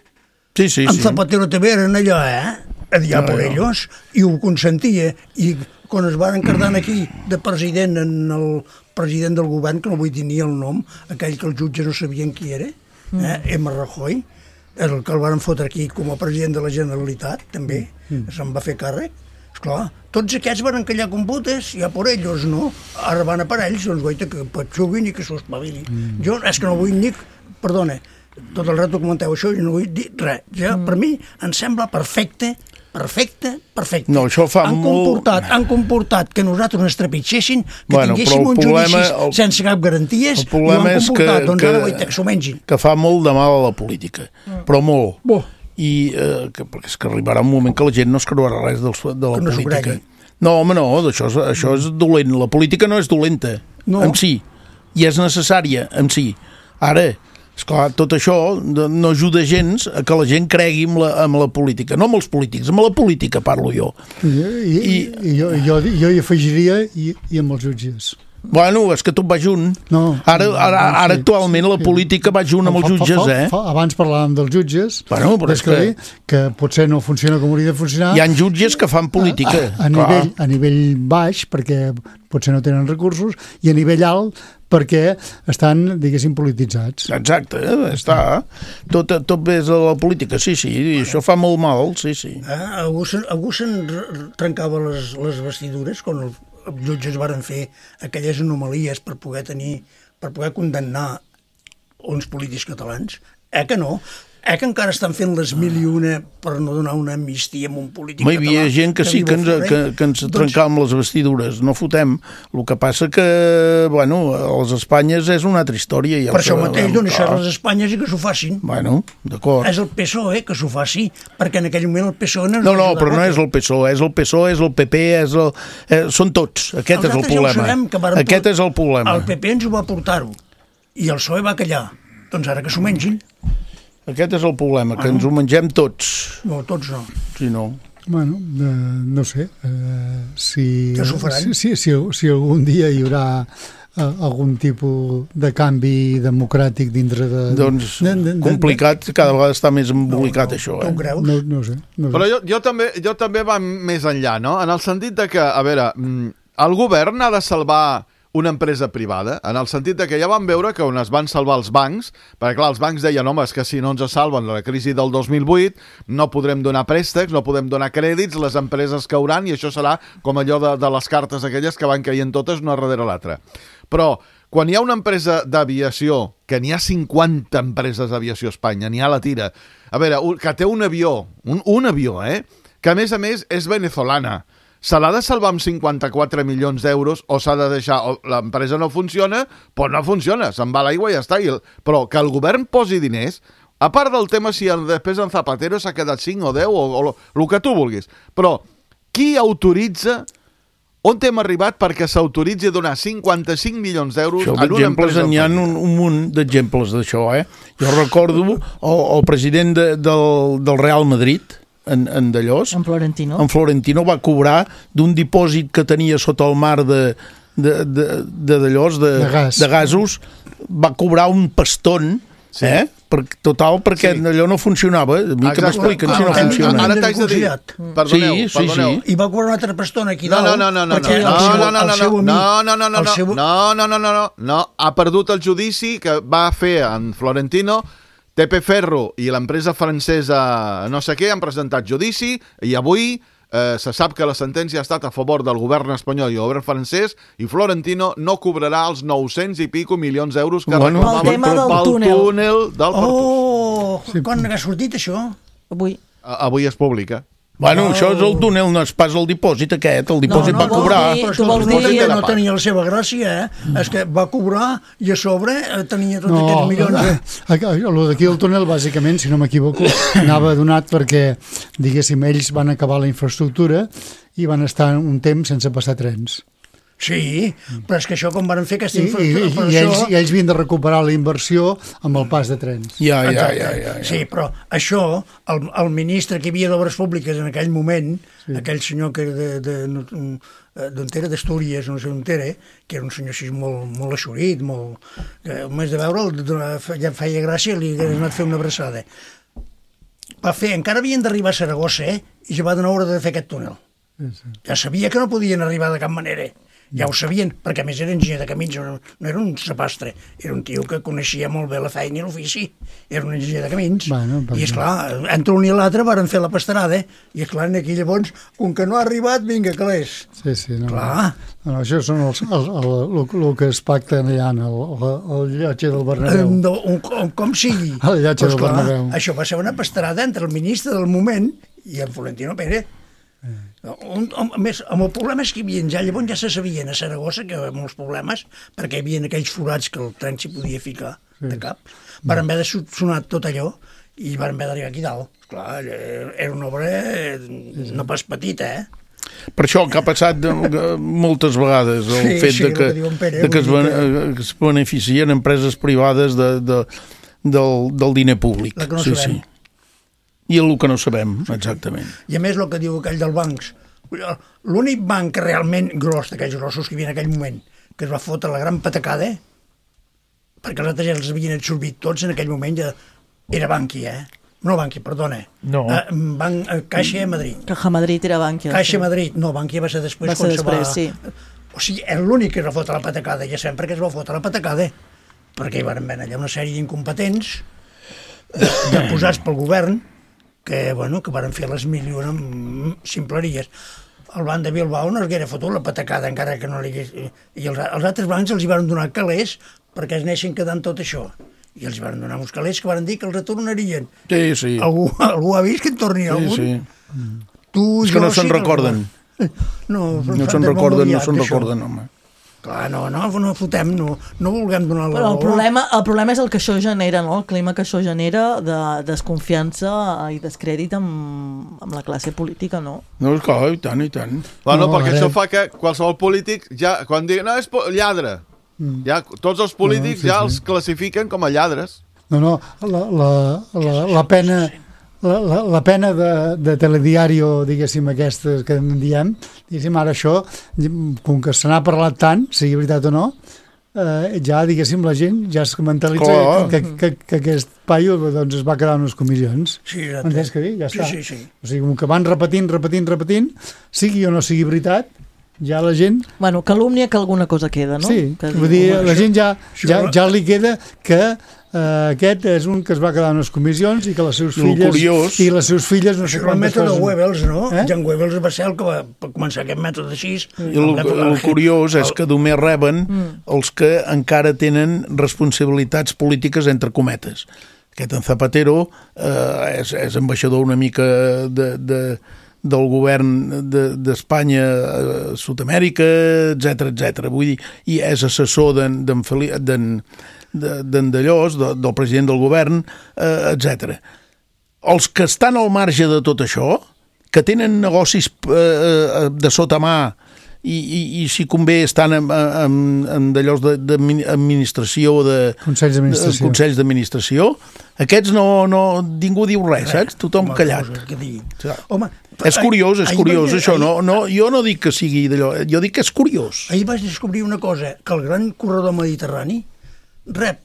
Sí. Amb Zapatero també eren allò, a dir A por ellos, i ho consentia, i quan es van encartant aquí de president en el president del govern, que no vull dir ni el nom, aquell que els jutges no sabien qui era, M. Rajoy, el que el van fotre aquí com a president de la Generalitat, també, se'n va fer càrrec. Esclar, tots aquests van encallar com putes, i A por ellos no. Ara van a per ells, doncs guaita, que patxuguin i que s'ho espavilin. Jo és que no vull ni... Perdona, tot el rato comenteu això i no vull dir res. Ja, per mi em sembla perfecte. No, això fa Han comportat que nosaltres ens trepitgessin, que tinguéssim uns judicis sense cap garanties, i ho han comportat, doncs ara que s'ho mengin. Que fa molt de mal a la política, però molt. I perquè és que arribarà un moment que la gent no es creurà res de la política. No, home, no, això és dolent. La política no és dolenta, en si, i és necessària, en si. Ara, esclar, tot això no ajuda gens a que la gent cregui amb la política. No amb els polítics, amb la política parlo jo. Jo hi afegiria i amb els jutges. Bueno, és que tot va junt. Ara actualment la política va junt amb els jutges, Abans parlàvem dels jutges, però és que potser no funciona com hauria de funcionar. Hi ha jutges que fan política. A nivell baix, perquè potser no tenen recursos, i a nivell alt, perquè estan, diguéssim, polititzats. Exacte, està. Tot ve de la política, sí, i això fa molt mal, sí. Algú se'n trencava les vestidures quan els jutges varen fer aquelles anomalies per poder condemnar uns polítics catalans? Que no? Que encara estan fent les 1001 per no donar una amnistia a un polític català? Hi havia gent que sí que ens trencàvem les vestidures, no fotem. El que passa que, bueno, a les Espanyes és una altra història. Per això mateix, doncs això a les Espanyes i que s'ho facin. Bueno, d'acord. És el PSOE que s'ho faci, perquè en aquell moment el PSOE no... No, però no és el PSOE, és el PSOE, és el PP, són tots. Aquest és el problema. Aquest és el problema. El PP ens ho va portar-ho, i el PSOE va callar. Doncs ara que s'ho mengin. Aquest és el problema, que ens ho mengem tots. No, tots no. Si no... Bueno, no sé. Si algun dia hi haurà algun tipus de canvi democràtic dintre de... Doncs complicat, cada vegada està més embolicat això. Tu ho creus? No sé. Però jo també va més enllà, no? En el sentit de que, a veure, el govern ha de salvar una empresa privada, en el sentit de que ja vam veure que on es van salvar els bancs, perquè clar, els bancs deien, home, és que si no ens salven la crisi del 2008 no podrem donar préstecs, no podem donar crèdits, les empreses cauran i això serà com allò de les cartes aquelles que van caient totes una darrere l'altra. Però quan hi ha una empresa d'aviació, que n'hi ha 50 empreses d'aviació a Espanya, n'hi ha la tira, a veure, que té un avió, que a més és venezolana, se l'ha de salvar amb 54 milions d'euros o s'ha de deixar, l'empresa no funciona, doncs no funciona, se'n va l'aigua i ja està. Però que el govern posi diners, a part del tema si després en Zapatero s'ha quedat 5 o 10 o el que tu vulguis, però qui autoritza, on hem arribat perquè s'autoritzi a donar 55 milions d'euros en una empresa? N'hi ha un munt d'exemples d'això, Jo recordo el president del Real Madrid, en Dallós. En Florentino. En Florentino va cobrar d'un dipòsit que tenia sota el mar de Dallós, de gasos, va cobrar un pastón, perquè allò no funcionava. A mi que m'expliquen si no funciona. Ara t'haig de dir, perdoneu. I va cobrar un altre pastón aquí dalt. No, ha perdut el judici que va fer en Florentino. TP Ferro i l'empresa francesa no sé què han presentat judici i avui se sap que la sentència ha estat a favor del govern espanyol i el govern francès i Florentino no cobrarà els 900 i pico milions d'euros que reclamaven pel túnel del Pertús. Quan ha sortit això? Avui es publica. Bueno, això és el túnel, no és pas el dipòsit aquest, el dipòsit va cobrar. Però el dipòsit no tenia la seva gràcia, És que va cobrar i a sobre tenia tots aquests milions. El d'aquí el túnel, bàsicament, si no m'equivoco, anava donat perquè, diguéssim, ells van acabar la infraestructura i van estar un temps sense passar trens. Sí, però és que això com van fer aquesta infraestructura... I ells havien de recuperar la inversió amb el pas de trens. Ja. Sí, però això, el ministre que hi havia d'Obres Públiques en aquell moment, aquell senyor que d'on era, d'Astúries, no sé on era, que era un senyor així molt eixorit, que només de veure'l ja feia gràcia, li hagués anat a fer una abraçada. Encara havien d'arribar a Saragossa, i ja va donar hora de fer aquest túnel. Ja sabia que no podien arribar de cap manera. Ja ho sabien, perquè a més era enginyer de camins, no era un sapastre, era un tio que coneixia molt bé la feina i l'ofici, era un enginyer de camins. I esclar, entre un i l'altre van fer la pastarada, i esclar, aquí llavors, com que no ha arribat, vinga, calés. Sí, no. Clar. No, això són el que es pacta allà en el llotge del Bernabéu. Com sigui. El llotge del Bernabéu. Això va ser una pastarada entre el ministre del moment i en Florentino Pérez. A més, amb el problema és que hi havia ja, llavors ja se sabien a Saragossa que hi havia molts problemes perquè hi havia aquells forats que el tren s'hi podia ficar de cap. Van haver de sonar tot allò i van haver d'arribar aquí dalt. Esclar, era una obra no pas petita, Per això que ha passat moltes vegades el fet de que es beneficien empreses privades del diner públic. La que no sabem. I el que no sabem, exactament. I a més el que diu aquell dels bancs, l'únic banc realment gros d'aquells grossos que hi havia en aquell moment, que es va fotre la gran patacada, perquè els altres ja els havien absorbit tots en aquell moment, ja era Bankia, No, Bankia, perdona. No. Caixa Madrid. Caja Madrid era Bankia. Caixa Madrid, no, Bankia va ser després. Va ser després, sí. O sigui, era l'únic que es va fotre la patacada, ja sabem per què es va fotre la patacada, perquè hi van haver allà una sèrie d'incompetents ja posats pel govern que van fer les mil i una ximpleries. El banc de Bilbao no es haguera fotut la patacada, encara que no li hagués... I els altres bancs els hi van donar calés perquè es neixen quedant tot això. I els hi van donar uns calés que van dir que els retornarien. Sí. Algú ha vist que en torni algun? Sí. És que no se'n recorden. No se'n recorden, home. Clar, no fotem, no vulguem donar la raó. El problema és el que això genera, no? El clima que això genera de desconfiança i descrèdit amb la classe política, no? No, clar, i tant. Perquè això fa que qualsevol polític, ja quan digui, no, és lladre, ja tots els polítics ja els classifiquen com a lladres. No, la pena... La pena de telediario, diguéssim, aquestes que en diem, diguéssim, ara això, com que se n'ha parlat tant, sigui veritat o no, ja, diguéssim, la gent ja es mentalitza que aquest paio doncs, es va quedar en les comissions. Sí, entens què dir? Ja està. Sí. O sigui, com que van repetint, sigui o no sigui veritat, ja la gent... Bueno, calúmnia que alguna cosa queda, no? Sí, vull dir, la gent ja li queda que aquest és un que es va quedar en les comissions i que les seves filles no sé quantes coses... El mètode Goebbels, no? Jan Goebbels va ser el que va començar aquest mètode així. El curiós és que només reben els que encara tenen responsabilitats polítiques entre cometes. Aquest en Zapatero és ambaixador una mica del govern d'Espanya a Sud-amèrica, etc. Vull dir, i és assessor d'en Dallós, del president del govern, etc. Els que estan al marge de tot això, que tenen negocis de sota mà i si convé estan en d'allòs d'administració, consells d'administració, aquests ningú diu res, saps? Tothom callat. Home, és curiós això, jo no dic que sigui d'allò, jo dic que és curiós. Ahir vaig descobrir una cosa, que el gran corredor mediterrani rep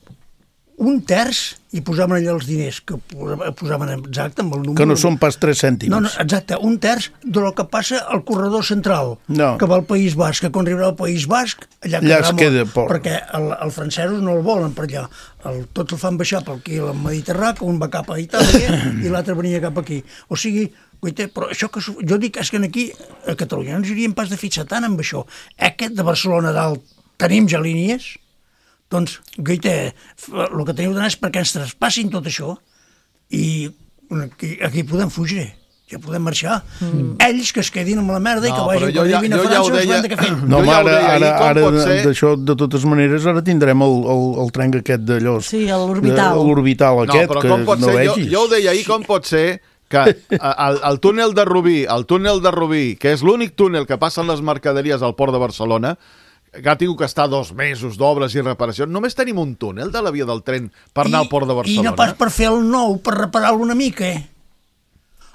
1/3, i posaven allà els diners, que posaven exacte amb el número... Que no són pas 3 cèntims. No, exacte, 1/3 del que passa al corredor central, que va al País Basc, que quan arribarà al País Basc, allà es queda poc. Perquè els francesos no el volen per allà. Tots el fan baixar per aquí al Mediterrani, que un va cap a Itàlia i l'altre venia cap aquí. O sigui, però això que jo dic és que aquí a Catalunya no ens hauríem pas de fixar tant amb això. Aquest de Barcelona dalt tenim ja línies, doncs, guaita, el que teniu d'anar és perquè ens traspassin tot això i aquí podem fugir, ja podem marxar. Ells que es quedin amb la merda i que vagin quan arribin a França els van de què fer. No, ara d'això, de totes maneres, ara tindrem el tren aquest d'allò. Sí, l'orbital. L'orbital aquest, que no vegis. Jo ho deia ahir, com pot ser que el túnel de Rubí, que és l'únic túnel que passen les mercaderies al port de Barcelona, que ha tingut que estar 2 mesos d'obres i reparacions. Només tenim un túnel de la via del tren per anar al port de Barcelona. I no pas per fer el nou, per reparar-lo una mica,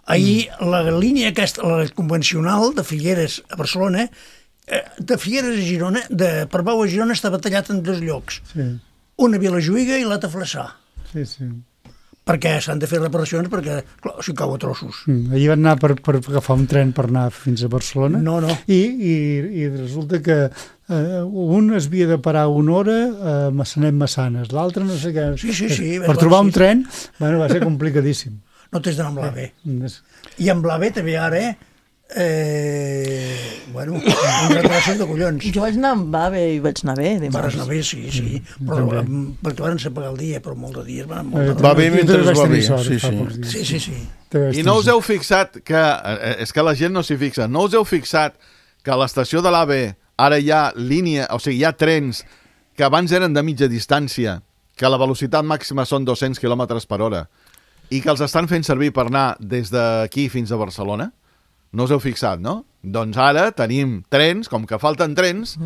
Ahir la línia aquesta, la convencional de Figueres a Barcelona, de Figueres a Girona, de Parbau a Girona, estava tallat en 2 llocs. Una a Vilajuïga i l'altra a Flaçà. Sí. perquè s'han de fer reparacions perquè, clar, s'hi cau a trossos. Ahir van anar per agafar un tren per anar fins a Barcelona. No. I resulta que un es havia de parar una hora a Massanet-Massanes, l'altre no sé què. Sí. Per trobar un tren, bueno, va ser complicadíssim. No t'has d'anar amb l'AVE. I amb l'AVE també ara, bueno, amb retrasos de collons. Jo vaig anar amb AVE i vaig anar bé. Vas anar bé, sí. Però perquè van ser pagar el dia, però molt de dies van anar molt de va bé mentre va bé. Sí. I no us heu fixat que, és que la gent no s'hi fixa, no us heu fixat que a l'estació de l'AVE ara hi ha línia, o sigui, hi ha trens que abans eren de mitja distància, que la velocitat màxima són 200 km per hora, i que els estan fent servir per anar des d'aquí fins a Barcelona? No us heu fixat, no? Doncs ara tenim trens, com que falten trens.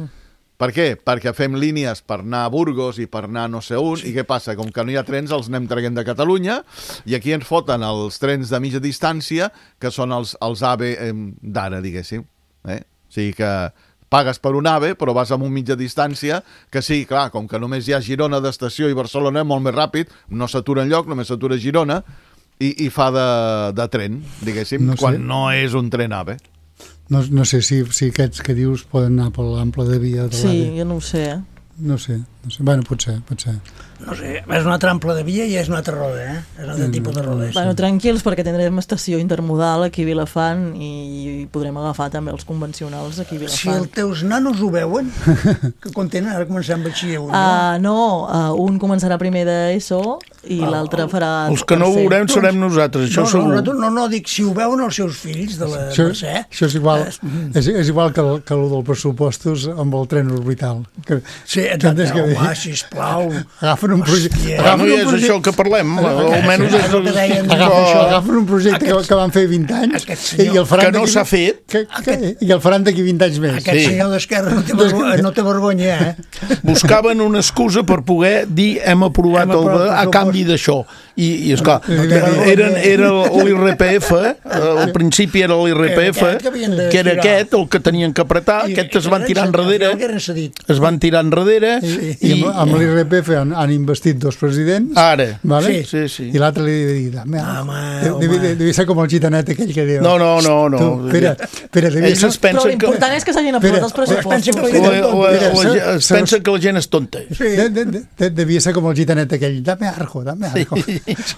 Per què? Perquè fem línies per anar a Burgos i per anar no sé on, i què passa? Com que no hi ha trens, els anem traient de Catalunya, i aquí ens foten els trens de mitja distància, que són els AVE d'ara, diguéssim. O sigui que pagues per un AVE, però vas amb un mitja distància, que sí, clar, com que només hi ha Girona d'estació i Barcelona, molt més ràpid, no s'atura enlloc, només s'atura a Girona, i fa de tren, diguéssim, quan no és un tren AVE. No sé si aquests que dius poden anar per l'ample de via de l'AVE. Sí, jo no ho sé, No sé. Bueno, pot ser. No sé, és un altre ample de via i és un altre roda, És un altre tipus de roda. Bueno, tranquils, perquè tindrem estació intermodal aquí a Vilafant i podrem agafar també els convencionals aquí a Vilafant. Si els teus nanos ho veuen, que quan tenen, ara començant batxiller un, un començarà primer d'ESO i l'altre farà... Els que no ho veurem serem nosaltres, això segur. No, dic, si ho veuen els seus fills de la Mercè... Això és igual que el dels pressupostos amb el tren orbital. Sí, exacte, home, sisplau. Agafen un projecte... No és això el que parlem, almenys és... Agafen un projecte que van fer 20 anys que no s'ha fet i el faran d'aquí 20 anys més. Aquest senyor d'Esquerra no té vergonya, Buscaven una excusa per poder dir hem aprovat el a canvi lluny d'això. I esclar, era l'IRPF, al principi era l'IRPF, que era aquest, el que tenien que apretar, aquest es van tirar enrere, i amb l'IRPF han investit 2 presidents. Ara. Sí. I l'altre li devia dir, devia ser com el gitanet aquell que diu... No. Espera, però l'important és que s'hagin aprovat els pressupostos. Es pensa que la gent és tonta. Devia ser com el gitanet aquell, dame argo.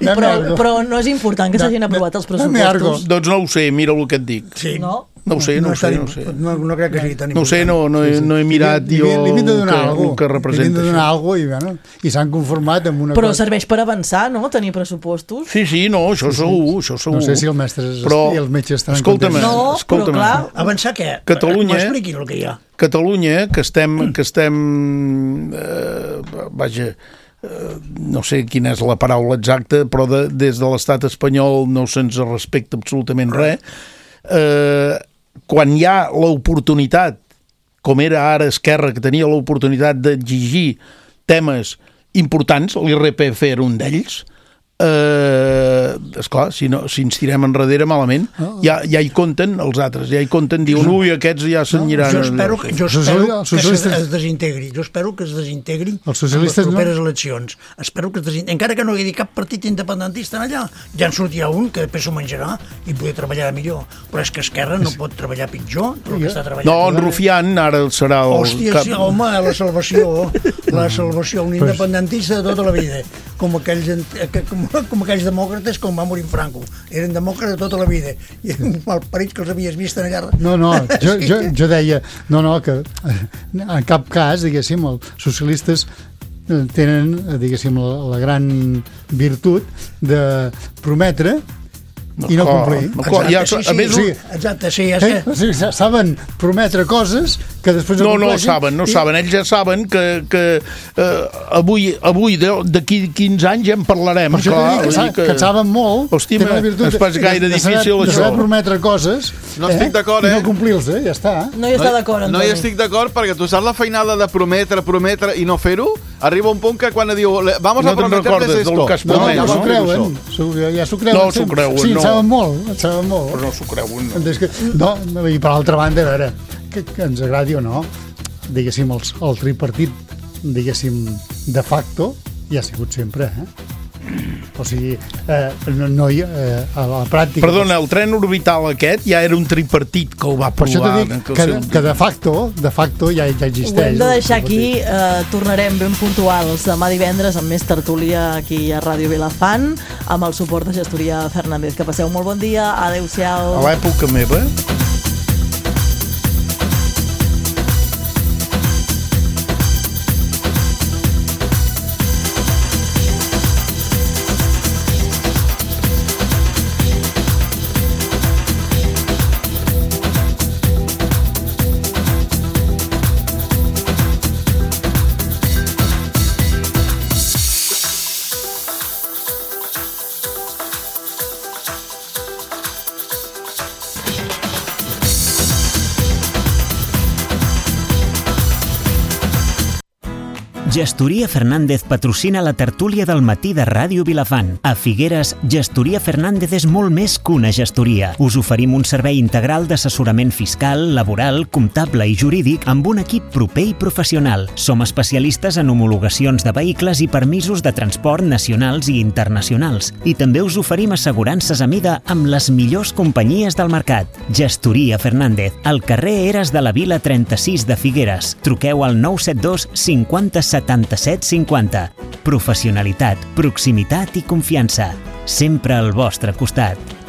Però no és important que s'hagin aprovat els pressupostos. Doncs no ho sé, mira el que et dic. No ho sé. No crec que sigui tan important. No ho sé, no he mirat jo el que representa. Li hem de donar alguna cosa i s'han conformat amb una cosa. Però serveix per avançar, no?, tenir pressupostos. Sí, no, això segur. No sé si el mestre i els metges estan contents. No, però clar. Avançar què? M'expliquin el que hi ha. Catalunya, que estem vaja, no sé quina és la paraula exacta, però des de l'estat espanyol no se'ns respecta absolutament res. Quan hi ha l'oportunitat, com era ara Esquerra, que tenia l'oportunitat d'exigir temes importants, l'IRPF era un d'ells, esclar, si ens tirem enrere malament, ja hi compten els altres, diuen, ui, aquests ja s'aniran... Jo espero que es desintegri, els socialistes les properes eleccions. Espero que es desintegri, encara que no hi hagi cap partit independentista allà, ja en sortirà un que després s'ho menjarà i podrà treballar millor, però és que Esquerra no pot treballar pitjor del que està treballant. No, en Rufián ara serà el... Hòstia, sí, home, la salvació, un independentista de tota la vida, com aquells demòcrates com va morir Franco. Eren demòcrates tota la vida i malparits que els havies vist allà. No, jo deia que en cap cas, diguéssim, els socialistes tenen, diguéssim, la gran virtut de prometre i no complir. Exacte, sí. Saben prometre coses que després no compleixen. No saben. Ells ja saben que avui d'aquí 15 anys ja en parlarem. Que saben molt. Hòstia, és pas gaire difícil això. De saber prometre coses no estic d'acord, i no complir-los, ja està. No hi està d'acord, Antoni. No hi estic d'acord perquè tu saps la feinada de prometre i no fer-ho? Arriba un punt que quan diu vamos a prometerles esto. Ja s'ho creuen. No s'ho creuen, sí, saben molt. Però no s'ho creuen, no. I per l'altra banda, a veure, que ens agradi o no, diguéssim, el tripartit, diguéssim, de facto, ja ha sigut sempre, O sigui, no hi a la pràctica... Perdona, el tren orbital aquest ja era un tripartit que ho va provar. Per això t'he dit que de facto ja existeix. Ho hem de deixar aquí, tornarem ben puntuals demà divendres amb més tertúlia aquí a Ràdio Vilafant, amb el suport de Gestoria Fernández. Que passeu molt bon dia, adeu-siau. A l'època meva... Gestoria Fernández patrocina la tertúlia del matí de Ràdio Vilafant. A Figueres, Gestoria Fernández és molt més que una gestoria. Us oferim un servei integral d'assessorament fiscal, laboral, comptable i jurídic amb un equip proper i professional. Som especialistes en homologacions de vehicles i permisos de transport nacionals i internacionals. I també us oferim assegurances a mida amb les millors companyies del mercat. Gestoria Fernández, al carrer Eres de la Vila 36 de Figueres. Truqueu al 972 50 77 50. Professionalitat, proximitat i confiança. Sempre al vostre costat.